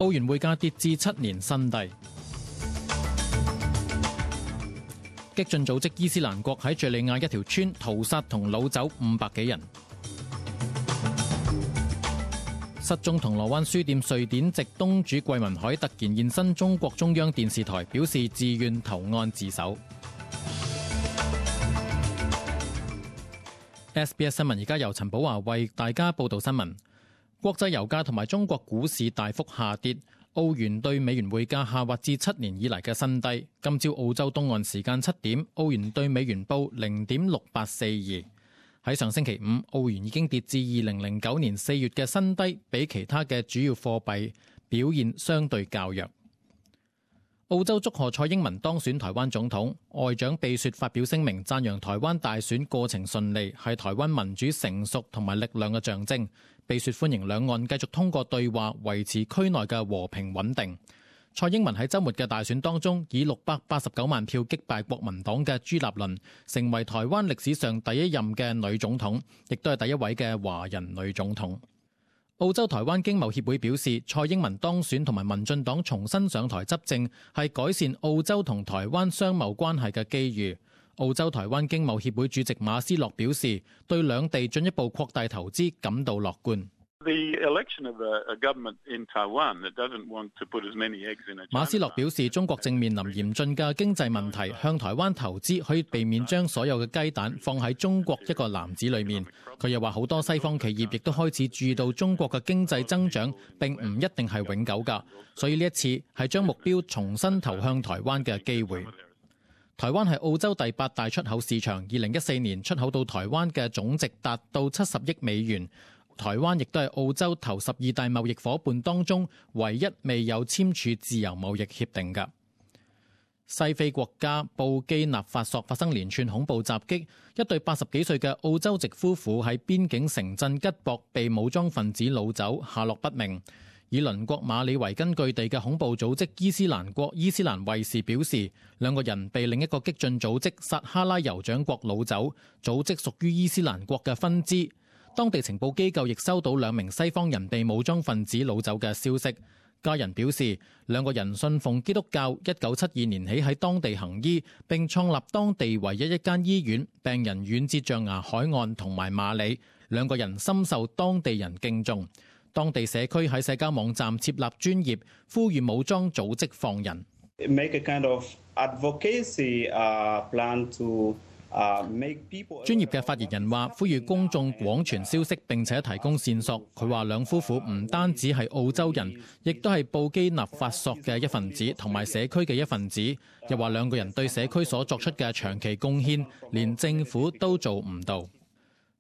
澳元匯價跌至7年新低。激進組織伊斯蘭國喺敘利亞一條村屠殺同擄走500幾人。失蹤銅鑼灣書店瑞典籍東主桂民海突然現身中國中央電視台，表示自願投案自首。SBS 新聞而家由陳寶華為大家報道新聞。國際油價同埋中國股市大幅下跌，澳元對美元匯價下滑至7年以嚟嘅新低。今朝澳洲東岸時間7點，澳元對美元報0.6842。喺上星期五，澳元已經跌至2009年4月嘅新低，比其他嘅主要貨幣表現相對較弱。澳洲祝賀蔡英文當選台灣總統，外長貝雪發表聲明讚揚台灣大選過程順利，係台灣民主成熟同埋力量嘅象徵。貝雪歡迎兩岸繼續通過對話維持區內嘅和平穩定。蔡英文喺週末嘅大選當中以689萬票擊敗國民黨嘅朱立倫，成為台灣歷史上第一任嘅女總統，亦都係第一位嘅華人女總統。澳洲台灣經貿協會表示，蔡英文當選同埋民進黨重新上台執政係改善澳洲同台灣商貿關係嘅機遇。澳洲台灣經貿協會主席馬斯洛表示，對兩地進一步擴大投資感到樂觀。馬斯洛表示，中國正面臨嚴峻嘅經濟問題，向台灣投資可以避免將所有嘅雞蛋放喺中國一個籃子裏面。佢又話，好多西方企業亦都開始注意到中國嘅經濟增長並唔一定係永久㗎，所以呢一次係將目標重新投向台灣嘅機會。台灣係澳洲第8大出口市場，2014年出口到台灣嘅總值達到70億美元。台灣亦都係澳洲頭12大貿易夥伴當中唯一未有簽署自由貿易協定嘅。西非國家布基納法索發生連串恐怖襲擊，一對80幾歲嘅澳洲籍夫婦喺邊境城鎮吉博被武裝分子擄走，下落不明。以鄰國馬里維根據地嘅恐怖組織伊斯蘭國伊斯蘭衛士表示，兩個人被另一個激進組織撒哈拉酋長國擄走，組織屬於伊斯蘭國嘅分支。當地情報機構亦收到2名西方人被武裝分子擄走嘅消息。家人表示，兩個人信奉基督教，1972年起喺當地行醫，並創立當地唯一一間醫院，病人遠至象牙海岸同埋馬里。兩個人深受當地人敬重。當地社區喺社交網站設立專頁，呼籲武裝組織放人。專業嘅發言人話，呼籲公眾廣傳消息並且提供線索。佢話兩夫婦唔單止係澳洲人，亦都係布基納法索嘅一份子，同埋社區嘅一份子。又話兩個人對社區所作出嘅長期貢獻，連政府都做唔到。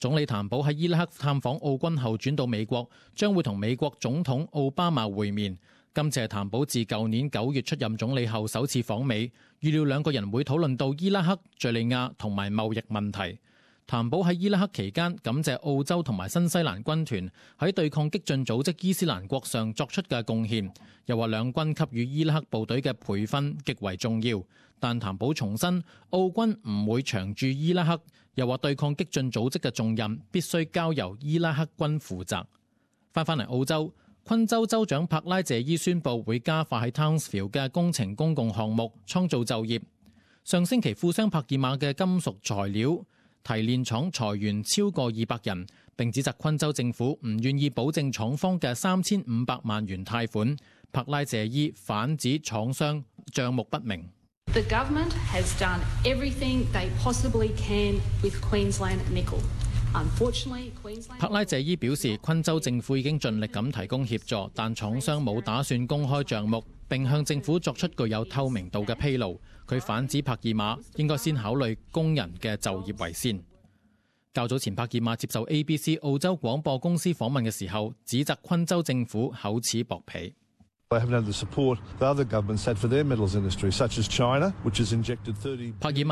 總理譚寶喺伊拉克探訪澳軍後轉到美國，將會同美國總統奧巴馬會面。今次係譚寶自舊年9月出任總理後首次訪美，預料兩個人會討論到伊拉克、敘利亞同埋貿易問題。譚寶喺伊拉克期間感謝澳洲同埋新西蘭軍團喺對抗激進組織伊斯蘭國上作出嘅貢獻，又話兩軍給予伊拉克部隊嘅培訓極為重要。但譚寶重申，澳軍唔會長駐伊拉克，又話對抗激進組織嘅重任必須交由伊拉克軍負責。返嚟澳洲，昆州州長柏拉謝伊宣布會加快喺 Townsville 嘅工程公共項目，創造就業。上星期富商帕爾馬嘅金屬材料提煉廠裁員超過200人，並指責昆州政府唔願意保證廠方嘅3500萬元貸款。柏拉謝伊反指廠商帳目不明。The government has done everything they possibly can with Queensland Nickel. 柏拉謝伊表示，昆州政府已經盡力咁提供協助，但廠商冇打算公開帳目，並向政府作出具有透明度嘅披露。佢反指柏爾馬應該先考慮工人嘅就業為先。較早前，柏爾馬接受 ABC 澳洲廣播公司訪問嘅時候，指責昆州政府厚此薄彼。柏爾馬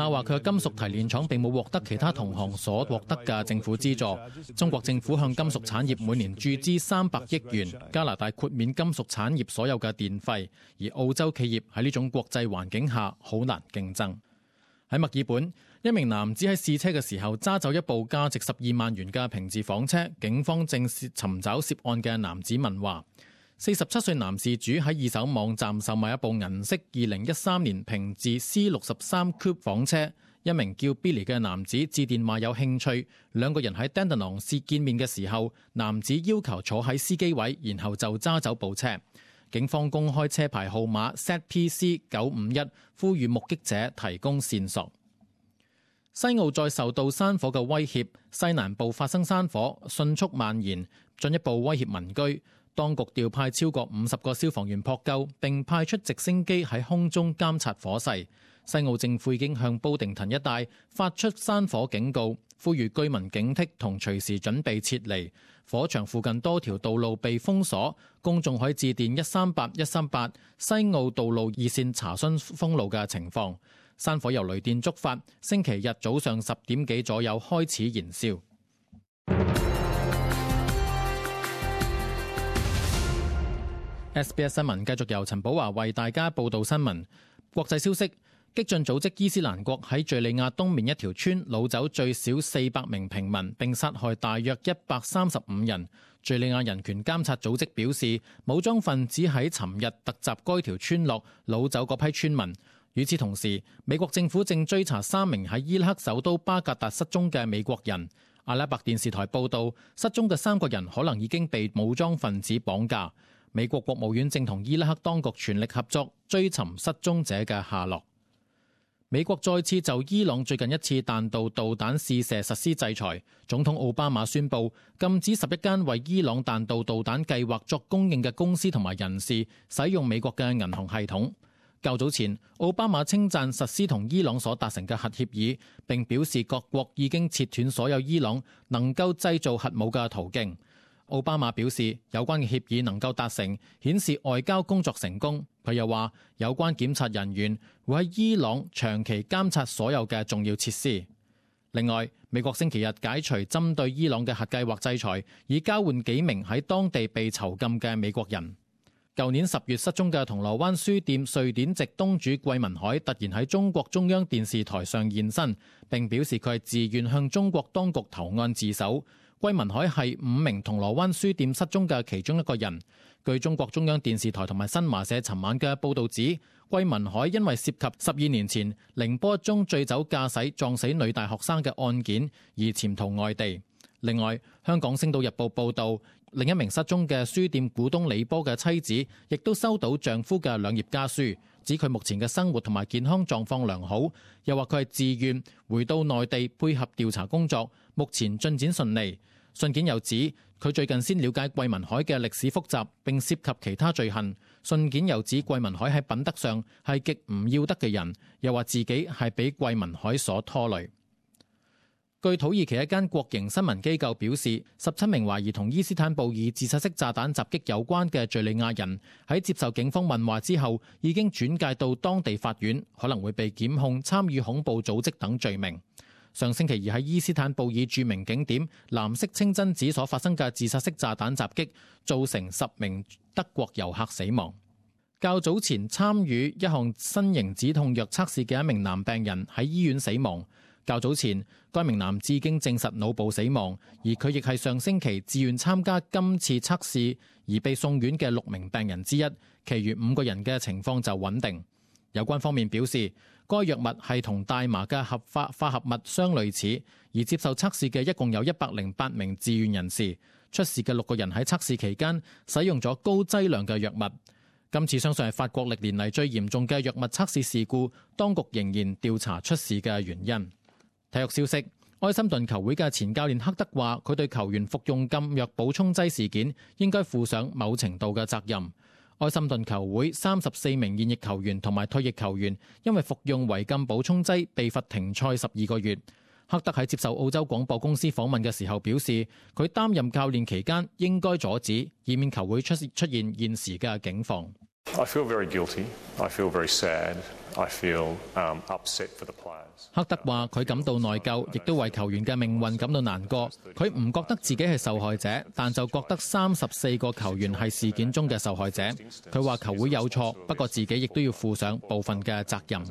話佢嘅金屬提煉廠並冇獲得其他同行所獲得嘅政府資助。中國政府向金屬產業每年注資300億元，加拿大豁免金屬產業所有嘅電費，而澳洲企業喺呢種國際環境下好難競爭。喺墨爾本，一名男子喺試車嘅時候揸走一部價值12萬元嘅平治房車，警方正尋找涉案嘅男子問話。47歲男事主喺二手網站售賣一部銀色2013年平治 C63 Coupe 房車，一名叫 Billy 嘅男子致電話有興趣，兩個人喺 Dandenong 市見面嘅時候，男子要求坐喺司機位，然後就揸走部車。警方公開車牌號碼 ZPC951， 呼籲目擊者提供線索。西澳再受到山火嘅威脅，西南部發生山火，迅速蔓延，進一步威脅民居。當局調派超過50個消防員撲救，並派出直升機喺空中監察火勢。西澳政府已經向布定滕一帶發出山火警告，呼籲居民警惕同隨時準備撤離。火場附近多條道路被封鎖，公眾可以致電138西澳道路熱線查詢封路嘅情況。山火由雷電觸發，星期日早上10點幾左右開始燃燒。SBS 新聞繼續由陳寶華為大家報道新聞。國際消息，激進組織伊斯蘭國喺敘利亞東面一條村擄走最少400名平民，並殺害大約135人。敘利亞人權監察組織表示，武裝分子喺尋日突襲該條村落，擄走嗰批村民。與此同時，美國政府正追查3名喺伊拉克首都巴格達失蹤嘅美國人。阿拉伯電視台報道，失蹤嘅3個人可能已經被武裝分子綁架。美國國務院正同伊拉克當局全力合作，追尋失蹤者嘅下落。美國再次就伊朗最近一次彈道導彈試射實施制裁。總統奧巴馬宣布禁止11間為伊朗彈道導彈計劃作供應嘅公司同埋人士使用美國嘅銀行系統。較早前，奧巴馬稱讚實施同伊朗所達成嘅核協議，並表示各國已經切斷所有伊朗能夠製造核武嘅途徑。奧巴馬表示，有關嘅協議能夠達成，顯示外交工作成功。佢又話，有關檢察人員會喺伊朗長期監察所有嘅重要設施。另外，美國星期日解除針對伊朗嘅核計劃制裁，以交換幾名喺當地被囚禁嘅美國人。舊年10月失蹤嘅銅鑼灣書店瑞典籍東主桂民海突然喺中國中央電視台上現身，並表示佢係自願向中國當局投案自首。桂民海係5名銅鑼灣書店失蹤嘅其中一個人。據中國中央電視台同埋新華社尋晚嘅報導指，桂民海因為涉及12年前寧波一宗醉酒駕駛撞死女大學生嘅案件而潛逃外地。另外，香港星島日報報導，另一名失蹤嘅書店股東李波嘅妻子亦都收到丈夫嘅2頁家書，指佢目前嘅生活同埋健康狀況良好，又話佢係自願回到內地配合調查工作，目前進展順利。信件又指佢最近先了解桂民海嘅歷史複雜並涉及其他罪行。信件又指桂民海喺品德上係極唔要得嘅人，又話自己係俾桂民海所拖累。據土耳其一間國營新聞機構表示，17名懷疑同伊斯坦布爾自殺式炸彈襲擊有關嘅敘利亞人喺接受警方問話之後，已經轉介到當地法院，可能會被檢控參與恐怖組織等罪名。上星期二喺伊斯坦布爾著名景點藍色清真寺所發生嘅自殺式炸彈襲擊，造成10名德國遊客死亡。較早前參與一項新型止痛藥測試嘅一名男病人喺醫院死亡。較早前，該名男子已經證實腦部死亡，而佢亦係上星期自願參加今次測試而被送院嘅6名病人之一，其餘5個人嘅情況就穩定。有關方面表示，該藥物係同大麻嘅合法化合物相類似，而接受測試嘅一共有108名自願人士。出事嘅6個人喺測試期間使用咗高劑量嘅藥物。今次相信係法國歷年嚟最嚴重嘅藥物測試事故，當局仍然調查出事嘅原因。體育消息，埃森頓球會嘅前教練克德話，佢對球員服用禁藥補充劑事件應該負上某程度嘅責任。埃森頓球會34名現役球員同埋退役球員因為服用違禁補充劑被罰停賽12個月。克德喺接受澳洲廣播公司訪問嘅時候表示，佢擔任教練期間應該阻止，以免球會出現現時嘅境況。I feel very guilty. I feel very sad. I feel upset for the players. 克德話佢感到內疚，亦都為球員嘅命運感到難過。佢唔覺得自己係受害者，但就覺得34個球員係事件中嘅受害者。佢話球會有錯，不過自己亦都要負上部分嘅責任。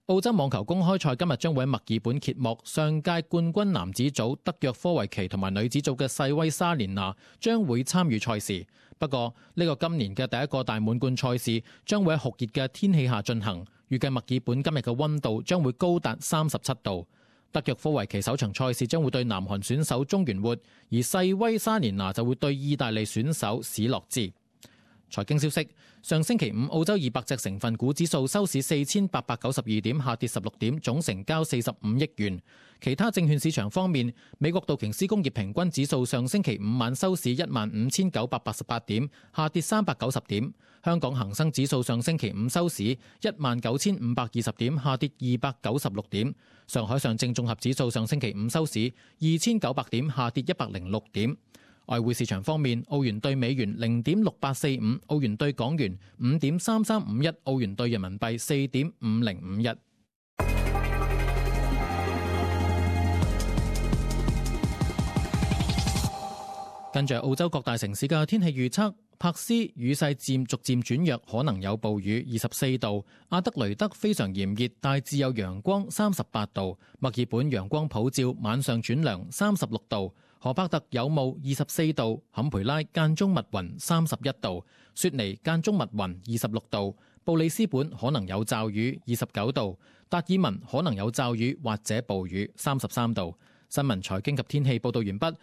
澳洲網球公開賽今日將會喺墨爾本揭幕，上屆冠軍男子組德約科維奇同埋女子組嘅細威莎蓮娜將會參與賽事。不過呢個今年嘅第一個大滿貫賽事將會喺酷熱嘅天氣下進行，預計墨爾本今日嘅溫度將會高達37度。德約科維奇首場賽事將會對南韓選手中原活，而細威莎蓮娜就會對意大利選手史洛茲。財經消息，上星期五澳洲200隻成分股指數收市4892點，下跌16點，總成交45億元。其他證券市場方面，美國道瓊斯工業平均指數上星期五晚收市15988點，下跌390點。香港恒生指數上星期五收市19520點，下跌296點。上海上證綜合指數上星期五收市2900點，下跌106點。外匯市場方面，澳元對美元0.6845，澳元對港元5.3351，澳元對人民幣4.5051。跟住澳洲各大城市嘅天氣預測，珀斯雨勢逐漸轉弱，可能有暴雨24度；阿德雷德非常炎熱，大致有陽光38度；墨爾本陽光普照，晚上轉涼36度；荷伯特有霧24度；坎培拉間中密雲31度；雪梨間中密雲26度；布里斯本可能有驟雨29度；達爾文可能有驟雨或者暴雨33度。新聞財經及天氣報導完畢，